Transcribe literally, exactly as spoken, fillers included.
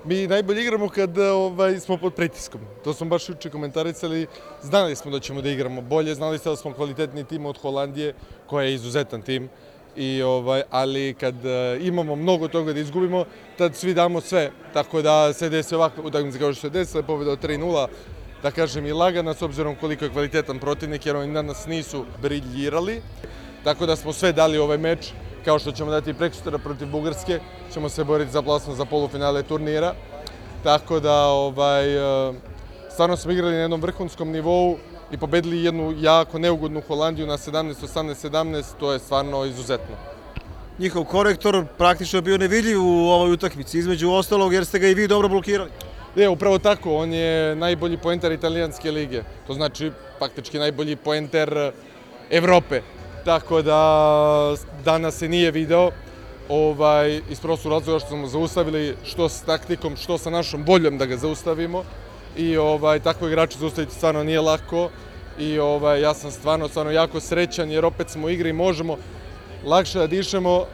Mi najbolje igramo kad ovaj, smo pod pritiskom. To smo baš juče komentarisali. Znali smo da ćemo da igramo bolje, znali ste da smo kvalitetni tim od Holandije, koja je izuzetan tim. I, ovaj, ali kad uh, imamo mnogo toga da izgubimo, tad svi damo sve. Tako da se desi ovakve utakmice kao što se desile, pobjeda od tri nula, da kažem i lagana, s obzirom koliko je kvalitetan protivnik, jer oni danas nisu briljirali. Tako da smo sve dali ovaj meč, kao što ćemo dati prekosutra protiv Bugarske, ćemo se boriti za plasman za polufinale turnira. Tako da ovaj, stvarno smo igrali na jednom vrhunskom nivou i pobedili jednu jako neugodnu Holandiju na sedamnaest osamnaest sedamnaest, to je stvarno izuzetno. Njihov korektor praktično je bio nevidljiv u ovoj utakmici, između ostalog jer ste ga i vi dobro blokirali. Je, upravo tako, on je najbolji poenter italijanske lige, to znači faktički najbolji poenter Evrope. Tako da danas se nije video, ovaj, iz prostog razloga što smo zaustavili što s taktikom, što sa našom voljom da ga zaustavimo. I ovaj, takvo igrače zaustaviti stvarno nije lako. I ovaj, ja sam stvarno, stvarno jako srećan jer opet smo u igri i možemo lakše da dišemo